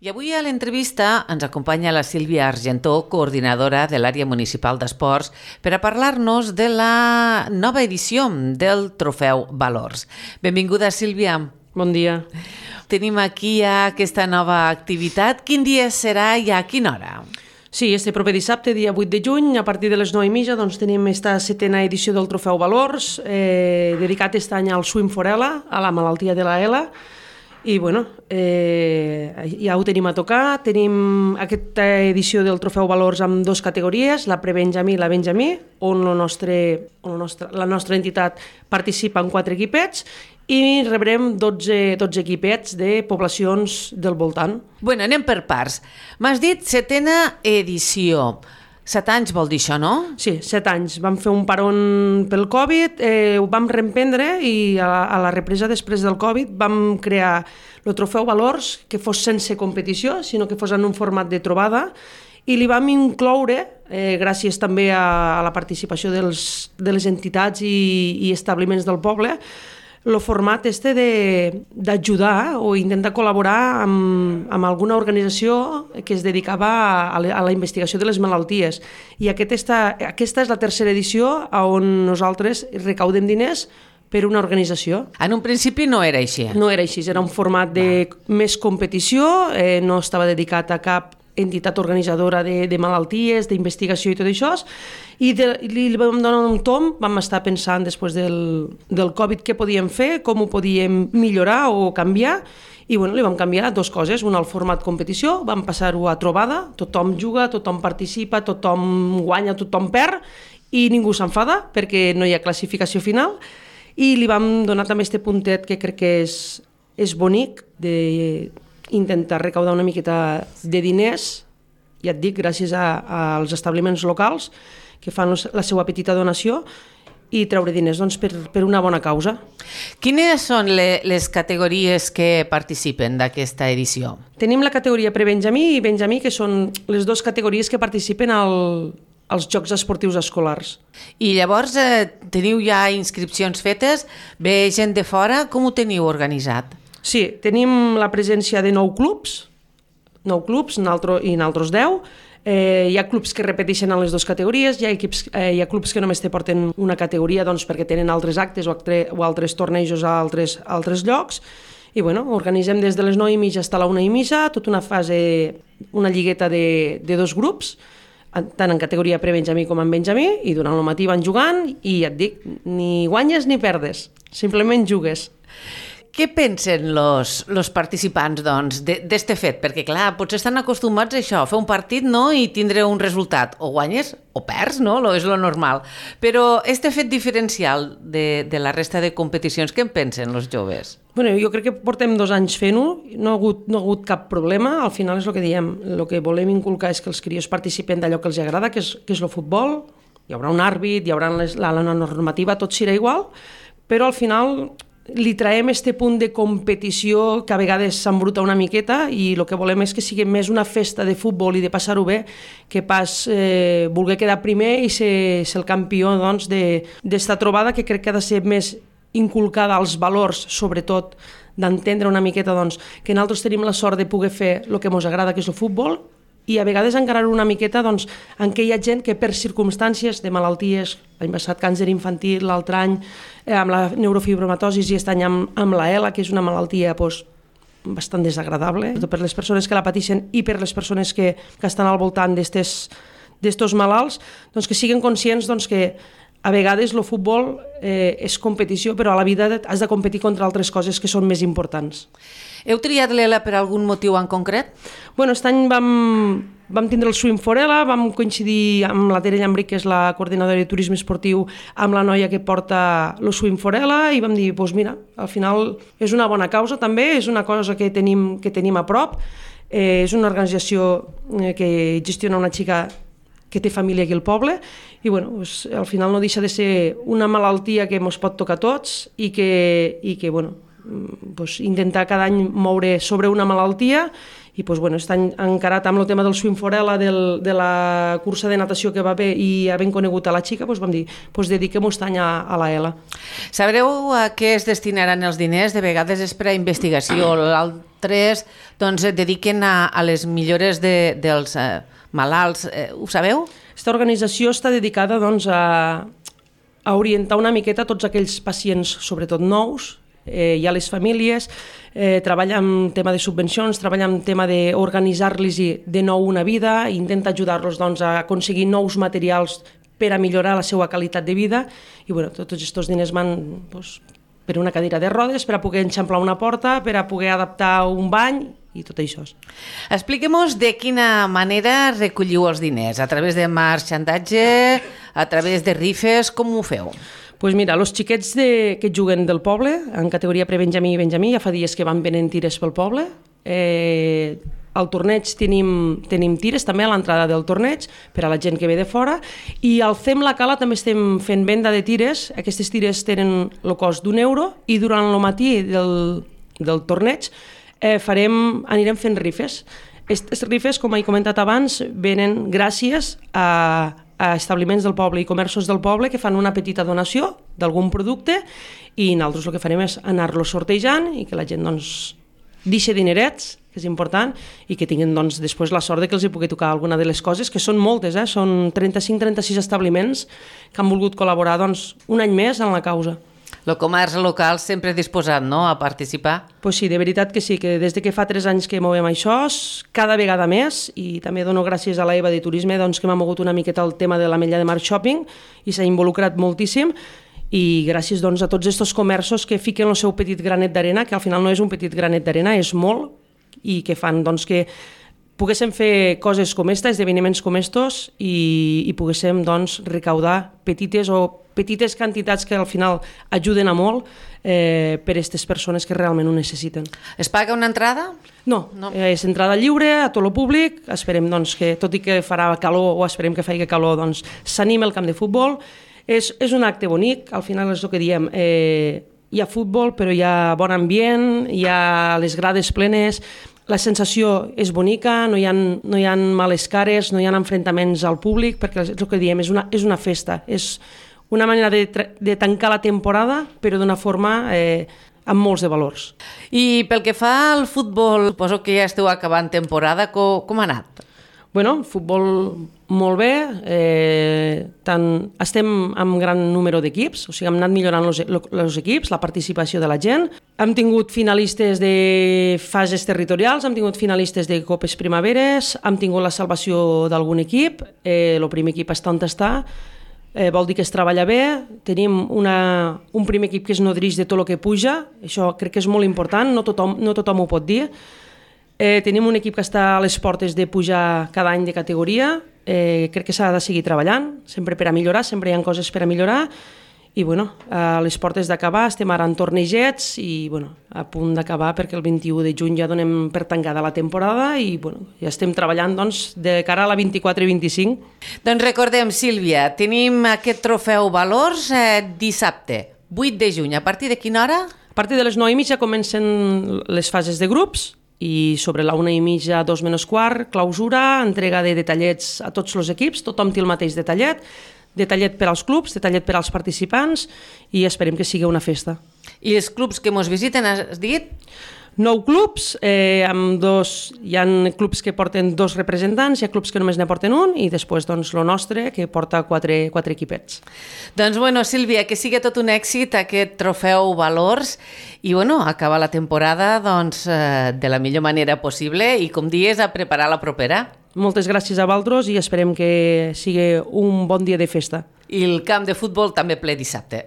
I avui a l'entrevista ens acompanya la Sílvia Argentó, coordinadora de l'àrea municipal d'esports, per a parlar-nos de la nova edició del Trofeu Valors. Benvinguda, Sílvia. Bon dia. Tenim aquí aquesta nova activitat. Quin dia serà i a quina hora? Sí, este proper dissabte, dia 8 de juny, a partir de les 9:30, doncs tenim esta 7a edició del Trofeu Valors, dedicat aquest any al Swim for Ela, a la malaltia de la ELA. I bueno, ja ho tenim a tocar. Tenim aquesta edició del Trofeu Valors amb dues categories, la prebenjamí i la benjamí, on la nostra entitat participa en 4 equipets i rebrem 12 equipets de poblacions del voltant. Bueno, anem per parts. M'has dit 7a edició. 7 anys vol dir això, no? Sí, 7 anys. Vam fer un paron pel Covid, ho vam reemprendre i a la represa després del Covid vam crear el Trofeu Valors, que fos sense competició, sinó que fos en un format de trobada, i li vam incloure, gràcies també a la participació de les entitats i establiments del poble, el format d'ajudar o intentar col·laborar amb alguna organització que es dedicava a la investigació de les malalties. I aquesta és la tercera edició on nosaltres recaudem diners per una organització. En un principi no era així. No era així, era un format de més competició, no estava dedicat a cap entitat organitzadora de malalties, d'investigació i tot això, i li vam donar un tomb, vam estar pensant després del Covid què podíem fer, com ho podíem millorar o canviar, i bueno, li vam canviar 2 coses, una al format competició, vam passar-ho a trobada, tothom juga, tothom participa, tothom guanya, tothom perd, i ningú s'enfada perquè no hi ha classificació final, i li vam donar també aquest puntet que crec que és bonic d'intentar recaudar una miqueta de diners, ja et dic, gràcies als establiments locals que fan la seva petita donació i treure diners doncs, per una bona causa. Quines són les categories que participen d'aquesta edició? Tenim la categoria prebenjamí i benjamí, que són les 2 categories que participen als Jocs Esportius Escolars. I llavors teniu ja inscripcions fetes? Ve gent de fora? Com ho teniu organitzat? Sí, tenim la presència de 9 clubs i nosaltres 10. Hi ha clubs que repeteixen en les 2 categories, hi ha clubs que només te porten una categoria doncs, perquè tenen altres actes o altres tornejos a altres llocs. I bueno, organitzem des de les 9:30 fins a la 1:30, tota una fase, una lligueta de 2 grups, tant en categoria prebenjamí com en benjamí, i durant el matí van jugant i et dic, ni guanyes ni perdes, simplement jugues. Què pensen los participants doncs, d'este fet? Perquè clar, potser estan acostumats a això, a fer un partit no? I tindre un resultat, o guanyes o perds, no? És lo normal. Però este fet diferencial de la resta de competicions, què en pensen els joves? Bueno, jo crec que portem 2 anys fent-ho, no ha hagut cap problema, al final és el que diem, el que volem inculcar és que els crios participen d'allò que els agrada, que és el futbol, hi haurà un àrbit, hi haurà la normativa, tot serà igual, però al final li traiem este punt de competició que a vegades s'embruta una miqueta i el que volem és que sigui més una festa de futbol i de passar-ho bé que pas voler quedar primer i ser el campió doncs, d'esta trobada, que crec que ha de ser més inculcada als valors, sobretot d'entendre una miqueta doncs, que nosaltres tenim la sort de poder fer el que ens agrada, que és el futbol, i a vegades encarar-ho una miqueta doncs, en què hi ha gent que per circumstàncies de malalties, l'any passat càncer infantil, l'altre any amb la neurofibromatosi i aquest any amb la ELA, que és una malaltia doncs, bastant desagradable per les persones que la pateixen i per les persones que estan al voltant d'estos malalts, doncs, que siguin conscients doncs, que a vegades el futbol és competició, però a la vida has de competir contra altres coses que són més importants. Heu triat l'ELA per algun motiu en concret? Bueno, aquest any vam tindre el Swim for ELA, vam coincidir amb la Tere Llambric, que és la coordinadora de turisme esportiu, amb la noia que porta el Swim for ELA, i vam dir, doncs mira, al final és una bona causa també, és una cosa que tenim a prop, és una organització que gestiona una xica que té família aquí al poble, i bueno, doncs, al final no deixa de ser una malaltia que ens pot tocar a tots i que bueno, doncs, intentar cada any moure sobre una malaltia i doncs, bueno, està encarat amb el tema del swim forella, de la cursa de natació que va haver i havent conegut a la xica, doncs vam dir, doncs dediquem aquest any a la ELA. Sabreu a què es destinaran els diners? De vegades és per a investigació, altres doncs, es dediquen a les millores dels malalts. Ho sabeu? Aquesta organització està dedicada doncs, a orientar una miqueta tots aquells pacients, sobretot nous, i a les famílies, treballa en tema de subvencions, treballa en tema d'organitzar-los de nou una vida, intenta ajudar-los doncs, a aconseguir nous materials per a millorar la seva qualitat de vida, i bueno, tots aquests diners van doncs, per una cadira de rodes, per a poder enxamplar una porta, per a poder adaptar un bany i tot això. Expliquem-nos de quina manera recolliu els diners, a través de marxandatge, a través de rifes, com ho feu? Doncs mira, els xiquets que juguen del poble, en categoria prebenjamí i benjamí, ja fa dies que van venent tires pel poble. Al torneig tenim tires també a l'entrada del torneig per a la gent que ve de fora, i al Fem la Cala també estem fent venda de tires. Aquestes tires tenen el cost d'€1 i durant el matí del torneig anirem fent rifes. Aquestes rifes, com he comentat abans, venen gràcies a establiments del poble i comerços del poble que fan una petita donació d'algun producte, i nosaltres el que farem és anar-los sortejant i que la gent doncs, deixi dinerets, que és important, i que tinguin doncs, després la sort de que els hi pugui tocar alguna de les coses, que són moltes, són 35-36 establiments que han volgut col·laborar doncs, un any més en la causa. El comerç local sempre disposat, no?, a participar. Pues sí, de veritat que sí, que des de que fa 3 anys que movem això, cada vegada més, i també dono gràcies a la Eva de Turisme doncs, que m'ha mogut una miqueta el tema de l'Ametlla de Mar Shopping i s'ha involucrat moltíssim, i gràcies doncs, a tots aquests comerços que fiquen el seu petit granet d'arena, que al final no és un petit granet d'arena, és molt, i que fan doncs, que poguéssim fer coses com esta, esdeveniments com estos, i poguéssim doncs, recaudar petites quantitats que al final ajuden a molt per a aquestes persones que realment ho necessiten. Es paga una entrada? No. És entrada lliure a tot el públic. Esperem doncs, que, tot i que farà calor, o esperem que faci calor, doncs, s'anima el camp de futbol. És un acte bonic, al final és el que diem, hi ha futbol però hi ha bon ambient, hi ha les grades plenes, la sensació és bonica, no hi ha males cares, no hi ha enfrontaments al públic, perquè és el que diem, és una festa, és una manera de tancar la temporada, però d'una forma amb molts de valors. I pel que fa al futbol, suposo que ja esteu acabant temporada, com ha anat? Bueno, futbol molt bé, estem amb gran número d'equips, o sigui, hem anat millorant els equips, la participació de la gent, hem tingut finalistes de fases territorials, hem tingut finalistes de copes primaveres, hem tingut la salvació d'algun equip, el primer equip està on està, vol dir que es treballa bé, tenim un primer equip que es nodreix de tot el que puja, això crec que és molt important, no tothom ho pot dir. Tenim un equip que està a les portes de pujar cada any de categoria, crec que s'ha de seguir treballant, sempre per a millorar, sempre hi ha coses per a millorar, i bueno, a les portes d'acabar, estem ara en tornejets i bueno, a punt d'acabar perquè el 21 de juny ja donem per tancada la temporada i bueno, ja estem treballant doncs, de cara a la 24 i 25. Doncs recordem, Sílvia, tenim aquest trofeu Valors dissabte, 8 de juny, a partir de quina hora? A partir de les 9:30 comencen les fases de grups, i sobre la 1:30, 2 menys quart, clausura, entrega de detallets a tots els equips, tothom té el mateix detallet per als clubs, detallet per als participants, i esperem que sigui una festa. I els clubs que ens visiten, has dit? 9 clubs, hi ha clubs que porten 2 representants, hi ha clubs que només ne porten un, i després doncs, el nostre, que porta 4 equipets. Doncs bueno, Sílvia, que sigui tot un èxit aquest trofeu Valors, i bueno, acabar la temporada doncs, de la millor manera possible, i com dius, a preparar la propera. Moltes gràcies a vosaltres i esperem que sigui un bon dia de festa. I el camp de futbol també ple dissabte.